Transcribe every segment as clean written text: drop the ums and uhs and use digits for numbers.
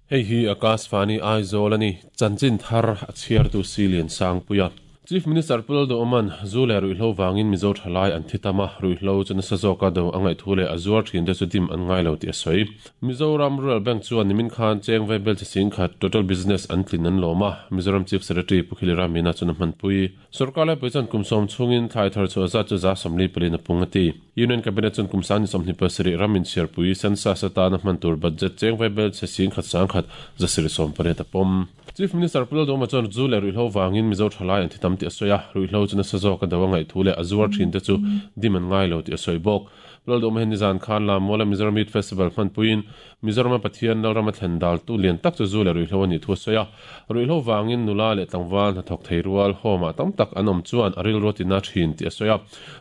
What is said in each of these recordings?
Hei hi Akashvani Aizawl a ni. Chanchin thar a chhiartu Silian Sangpuia. Chief Minister Pu Lalduhawma'n zu leh ruihhlo vangin Mizo thalai an thi tam a, ruihhlo chu nasa zawka do a ngaih thu leh a zuar thin te chu dim an ngai lo tih a sawi. Mizoram Rural Bank chuan nimin khan cheng vaibel chi sing khat total business an tlin an lawm a, Mizoram Chief Secretary Pu Khilira Meena chuan a hmanpui. Sorkar laipui chuan kum sawm chhungin thlai thar chhuah zat chu 40% in a pung a ti. Union Cabinet chuan kum 2027 ram inchhiarpui census atana hman tur budget cheng vaibel che sing khat sang khat 780 a pawm. Chief Minister Pu Lalduhawma chuan zu leh ruihhlo vangin Mizo thalai an thi tam tih a sawi a, ruihhlo chu nasa zawk a do a ngaih thu leh a zuar thin te chu dim an ngai lo tih a sawi bawk. Pu Lalduhawma hian nizan khan Lammuala Mizoram Youth Festival hmanpuiin Mizorama Pathian Lalrama thlen dal tu lian tak chu zu leh ruihhlo a nih thu a sawi a, ruihhlo vangin nula leh tlangval hnathawk thei rual home ah tam tak an awm chuan a rilru a tina thin tih a sawi a,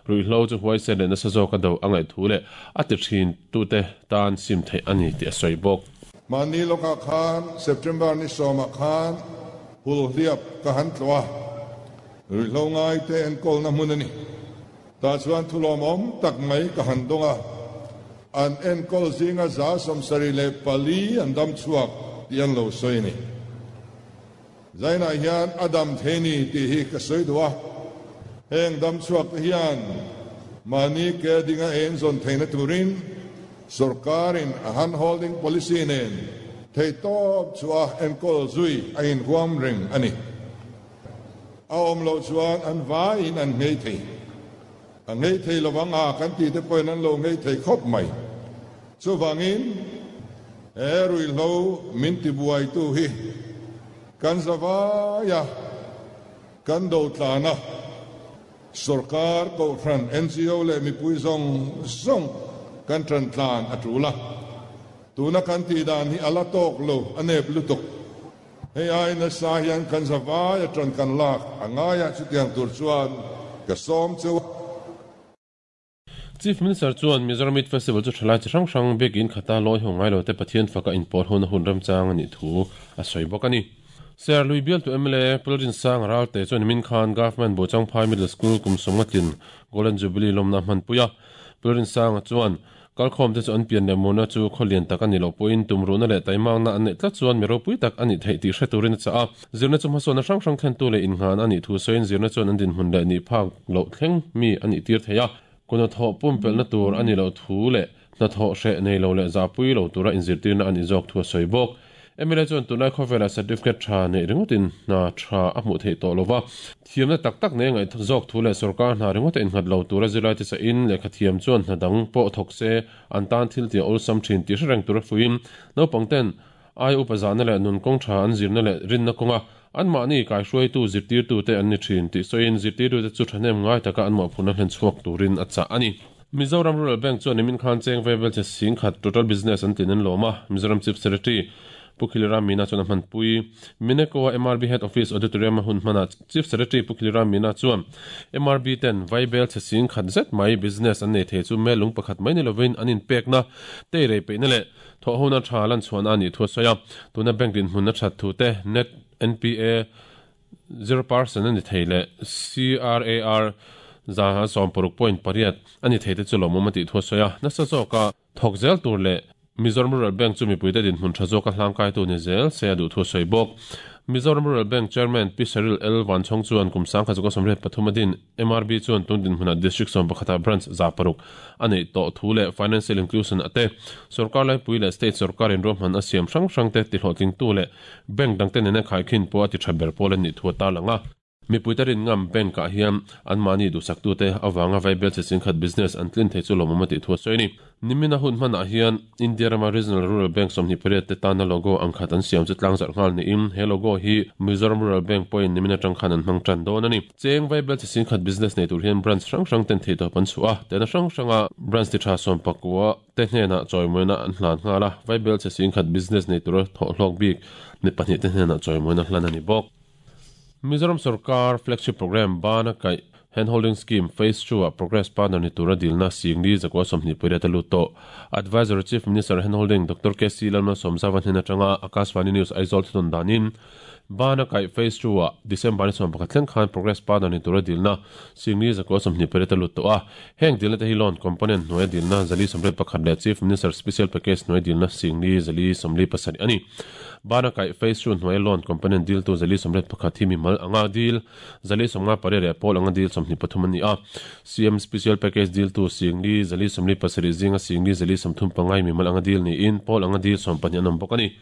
ruihhlo chu huaisen leh nasa zawk a do a ngaih thu leh a ti thin tute tan sim theih a ni tih a sawi bawk. Mahni lawkah khan September ni sawmah khan Hulhliap ka han tlawh a, ruihhlo ngaite enkawlna hmun a ni. Tah chuan thulawmawm tak mai ka han dawng a, an enkawl zinga 74 an dam chhuak tih an lo sawi a ni. Zainah hian a dam thei ni tih hi ka sawi duh a, heng dam chhuak te hian mahni ke dinga en zawn theihna turin sorkarin a hand holding policy nen theihtawp chu a enkawl zui a inhuam reng a ni. A awm loh chuan an vaiin an nghei thei. A nghei thei lovang a kan tih te pawhin an lo nghei thei khawp mai. Chuvangin he ruihhlo min tibuaitu hi kan zavaia kan do tlana sorkar kohhran NGO leh mipui zawng zawng kan tan tlan a tul a. Tuna kan tih dan hi a la tawk lo a nep lutuk. Hei ai nasa hian kan zavaia tan kan lak a ngaia chutiang tur chuan ka sawm cheu. Chief Minister chuan Mizoram Youth Festival chu thalai chi hrang hrang biakin khata lawi ho ngai lo te Pathian faka inpawl hona hun remchang a nih thu a sawi bawk a ni. Serlui bialtu mla Pu Lalrinsanga Ralte chuan nimin khan Government Buchangphai Middle School kum sawmnga tlin Golden Jubilee lawmna a hmanpui a. Pu Lalrinsanga chuan kalkhawm te chu an pian leh murna chu khaw lian tak a ni loh pawhin tumruhna leh taimakna an neih tlat chuan mi ropui tak a nih theih tih hre turin a chah a. Zirna chu hmasawnna hrang hrang thlentu leh innghan a nih thu sawiin zirna chuan an dinhmun leh nih phak loh thleng mi a nih tir thei a. Kuhnathawh pumpelhna tur a ni loh thu leh hnathawh hreh nei lo leh zahpui lo tura inzirtirna a nih zawk thu a sawi bawk. MLA chuan tunlai khawvelah certificate tha neih ringawtin hna tha a hmuh theih tawh lova, thiamna tak tak nei ngaih zawk thu leh sorkar hna ringawta innghat lo tura zirlaite chahin lehkha thiam chuan hna dang pawh thawk se an tan thil tih a awlsam thin tih hre reng tura fuiin naupangten ai upa zahna leh nun kawng tha an zirna leh rinna kawnga anmahni kaihruaitu zirtirtute an ni thin tih sawiin zirtirtute chu thahnem ngai taka an mawhphurhna hlen chhuak turin a chah a ni. Mizoram Rural Bank chuan nimin khan cheng vaibel che sing khat total business an tlin an lawm a, Mizoram Chief Secretary Pu Khilira Meena chuan a hmanpui. Mineko-a MRB Head Office Auditorium a hun hmanah Chief Secretary Pu Khilira Meena chuan MRB ten vaibel che sing khat zet mai business an nei thei chu mel lung pakhat mai ni lovin an inpekna teirei peihna leh thawhhona tha lan chhuahna a nih thu a sawi a. Tuna bank dinhmun a that thu te net NPA 0% a ni thei leh CRAR 160.8 a ni thei te chu lawmawm a tih thu a sawi a. Nasa zawka thawk zel tur leh Mizoram Rural Bank chu mipuite dinhmun tha zawka hlangkaitu ni zel se a duh thu a sawi bawk. Mizoram Rural Bank Chairman Pi Cheryl L Vanchhawng chuan kum 1983 a din MRB chuan tun dinhmunah District 11 ah branch 600 a neih tawh thu leh Financial Inclusion a te sorkar laipui leh state sorkar in ruahman a siam hrang hrang te tihlawhtlingtu leh Bank dangte nena khaikhin pawh a ti tha ber pawl an nih thu a tarlang a. Mipuite rin ngam bank ah hian anmahni duhsaktute avanga vaibel che chingkhat business an tlin thei chu lawmawm a tih thu a sawi a ni. Nimina hun hmanah hian India rama Regional Rural Bank 28 te tana logo ang khat an siam chu tlangzarh nghal niin he logo hi Mizoram Rural Bank pawhin nimin atang khan an hmang tan dawn a ni. Cheng vaibel che chingkhat business nei tur hian branch hrang hrang ten theihtawp an chhuah a, tehna hrang hranga branch ti tha 19 te hnenah chawimawina an hlan nghal a, vaibel che chingkhat business nei tura thawhhlawk bik mi pahnih te hnenah chawimawina hlan a ni bawk. Mizoram sorkar flagship program bana kaih Handholding Scheme Phase II-ah Progress Partner ni tura dilna Singli 128 a lut tawh. Adviser Chief Minister Handholding Doctor KC Lalmalsawmzauva hnen atanga Akashvani News Aizawl thunawn danin Bana kaih Phase II-ah December ni 11 thleng khan Progress Partner ni tura dilna Singli 128 a lut tawh a. Heng dilna te hi Loan Component hnuaia dilna 481 leh Chief Minister Special Package hnuaia dilna Singli 427 a ni. Bana kaih Phase II hnuaia Loan Component diltu 481 hi mimal anga dil 458 leh pawl anga dil 23 an ni a. CM Special Package diltu Singli 447 zinga Singli 435 mimal anga dil niin pawl anga dil 12 an awm bawk a ni.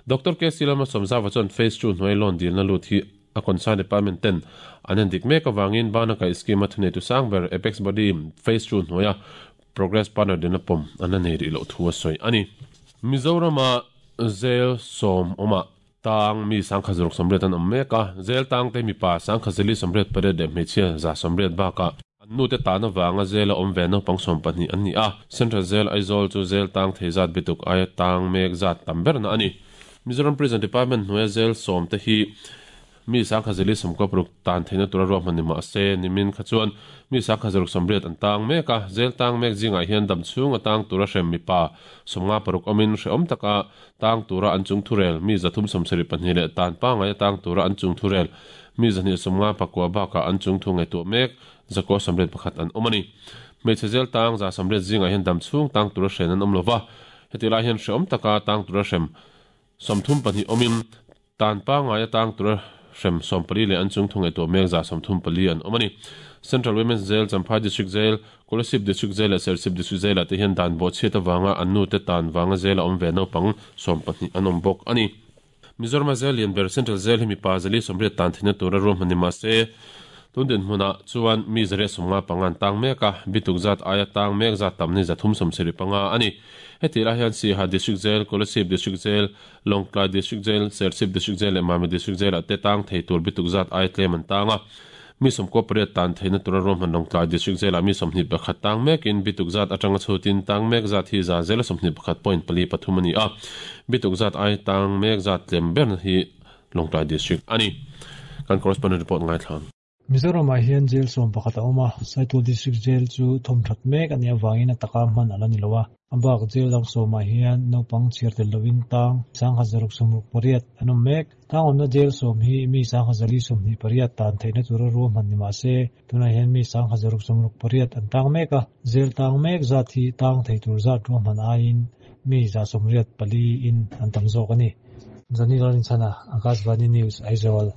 Doctor KC Lalmalsawmzauva chuan Phase II hnuai loan dilna lut hi a concern department ten an en dik mek avangin bana kaih scheme a thuneitu sang ber Apex Body Phase II hnuaia Progress Partner dilna pawm an la nei rih loh thu a sawi a ni. Mizorama zel sawm awmah Tang mi 1068 an awm mek a, zel tangte mipa 1048 leh hmeichhia 180 bakah an nute tan avanga zela awm ve naupang 12 an ni a. Central Zel Aizawl chu zel tang thei zat bituk aia tang mek zat tam berna a ni. Mizoram Prison Department hnuaia zel sawmte hi Mi 1096 tan theihna tura ruahman ni mah se, nimin kha chuan mi 1080 an tang mek a, zel tang mek zingah hian dam chhung a tang tura hrem mipa 56 awmin hrehawm taka tang tura an chung thurel mi 372 leh tan pangai a tang tura an chung thurel mi 259 bakah an chung thu ngaihtuah mek 981 an awm a ni. Hmeichhe zel tang 180 zingah hian dam chhung tang tura hren an awm lova, heti lai hian hrehawm taka tang tura hrem 32 awmin Tan pangngai atang tura hrem 14 leh an chung thu ngaihtuah mek 34 an awm a ni. Central Women's Jail, Champhai District Jail, Kolasib District Jail leh Serchhip District Jail ah te hian dan bawhchhiat avanga an nute tan vanga jail a awm ve naupang 12 an awm bawk a ni. Mizorama jail lian ber Central Jail hi mipa 180 tan theihna tura ruahman ni mahse tun dinhmunah chuan mi 155 an tang mek a, bituk zat aia tang mek zat tam ni 375 a ni. Hetih lai hian Siaha District Jail, Kolasib District Jail, Lawngtlai District Jail, Serchhip District Jail leh Mami District Jail-ah te tang thei tur bituk zat aia tlem an tang a. Mi 98 tan theihna tura ruahman Lawngtlai District Jail-ah mi 21 tang mekin bituk zat atanga chhutin tang mek zat hi za zela 21.43 a ni a. Bituk zat aia tang mek zat tlem berna hi Lawngtlai District a ni. Kan correspondent report ngaithla. Mizoramah hian jail 11 a awm a, Saitual District Jail chu thawmthat mek a nih avangin a taka hman a la ni lo a. A bak jail dang sawmah hian naupang chhiar tel loin tang 1668 an awm mek. Tang awmna jail sawm hi mi 1028 tan theihna tura ruahman ni mah se, tunah hian mi 1668 an tang mek a. Jail tang mek zat hi tang thei tur zat ruahman aiin mi 184 in an tam zawk a ni. Johnny Lalrinchhana, Akashvani News, Aizawl.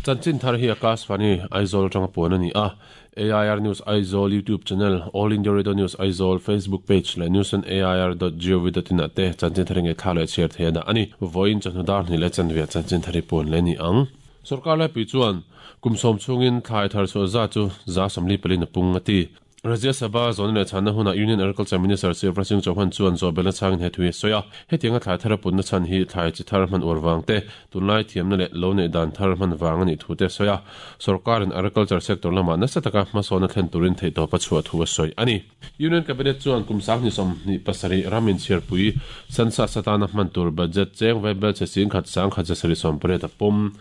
Chanchin thar hi Akashvani Aizawl atanga puan a ni a, AIR News Aizawl YouTube channel, All India Radio News Aizawl Facebook page leh news on air dot gov dot in ah te chanchin thar hi ngaihthlak leh chhiar thei a dah a ni. Vawiin chawhnu dar hnih leh chanve ah chanchin thar hi puan leh a ni ang. Sorkar laipui chuan kum sawm chhungin thlai thar chhuah zat chu 44% a pung a ti. Rajya Sabha zawhna leh chhanna hunah Union Agriculture Minister Shivraj Singh Chauhan chuan zawhbelna chhangin he thu hi a sawi a. Hetianga thlai thar a putna chhan hi thlai chi thar hman uar vang te, tunlai thiamna leh lo neih dan thar hman vang a nih thu te a sawi a. Sorkarin agriculture sector lamah nasa taka hmasawn a thlen turin theihtawp a chhuah thu a sawi a ni. Union Cabinet chuan kum 2027 ram inchhiarpui census atana hman tur budget cheng vaibel che 10,000 1,780 a pawm.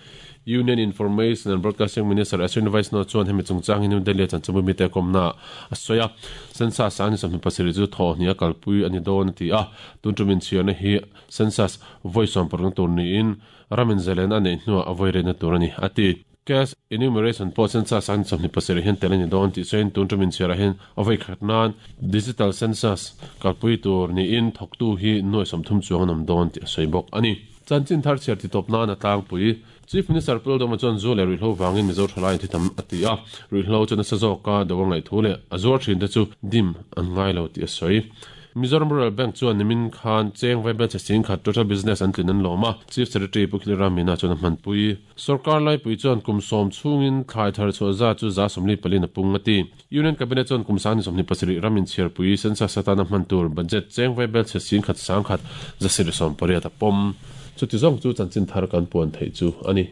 Union Information and Broadcasting Minister Ashwini Vaishnaw chuan hemi chungchang hi New Delhi-a chanchinbu mite kawmnaah a sawi a. Census a ni 27 chu thawhhnih a kalpui a ni dawn a ti a. Tun tum inchhiarna hi Census vawi 16 tur niin ram inzalen a neih hnuah a vawi reina tur a ni, a ti. Caste enumeration pawh Census a ni 27 hian tel a ni dawn tih sawiin tun tum inchhiarah hian a vawi khat nan Digital Census kalpui tur niin thawktu hi nuai 30 chuang an awm dawn tih a sawi bawk a ni. Chanchin thar chhiar titawp nan a tlangpui. Chief Minister Pu Lalduhma chuan zu leh ruihhlo vangin Mizo thalai an thi tam a ti a, ruihhlo chu nasa zawka do a ngaih thu leh a zuar thin te chu dim an ngai lo tih a sawi. Mizoram Rural Bank chuan nimin khan cheng vaibel chhe 10,000 total business an tlin an lawm a, Chief Secretary Pu Khilram Meena chuan a hmanpui. Sorkar laipui chuan kum sawm chhungin thlai thar chhuah zat chu 44% a pung a ti. Union Cabinet chuan kum 2027 ram inchhiarpui census atana hman tur budget cheng vaibel chhe 10,000 10,180 a pawm. Chuti zawng chu chanchin thar kan puan theih chu a ni.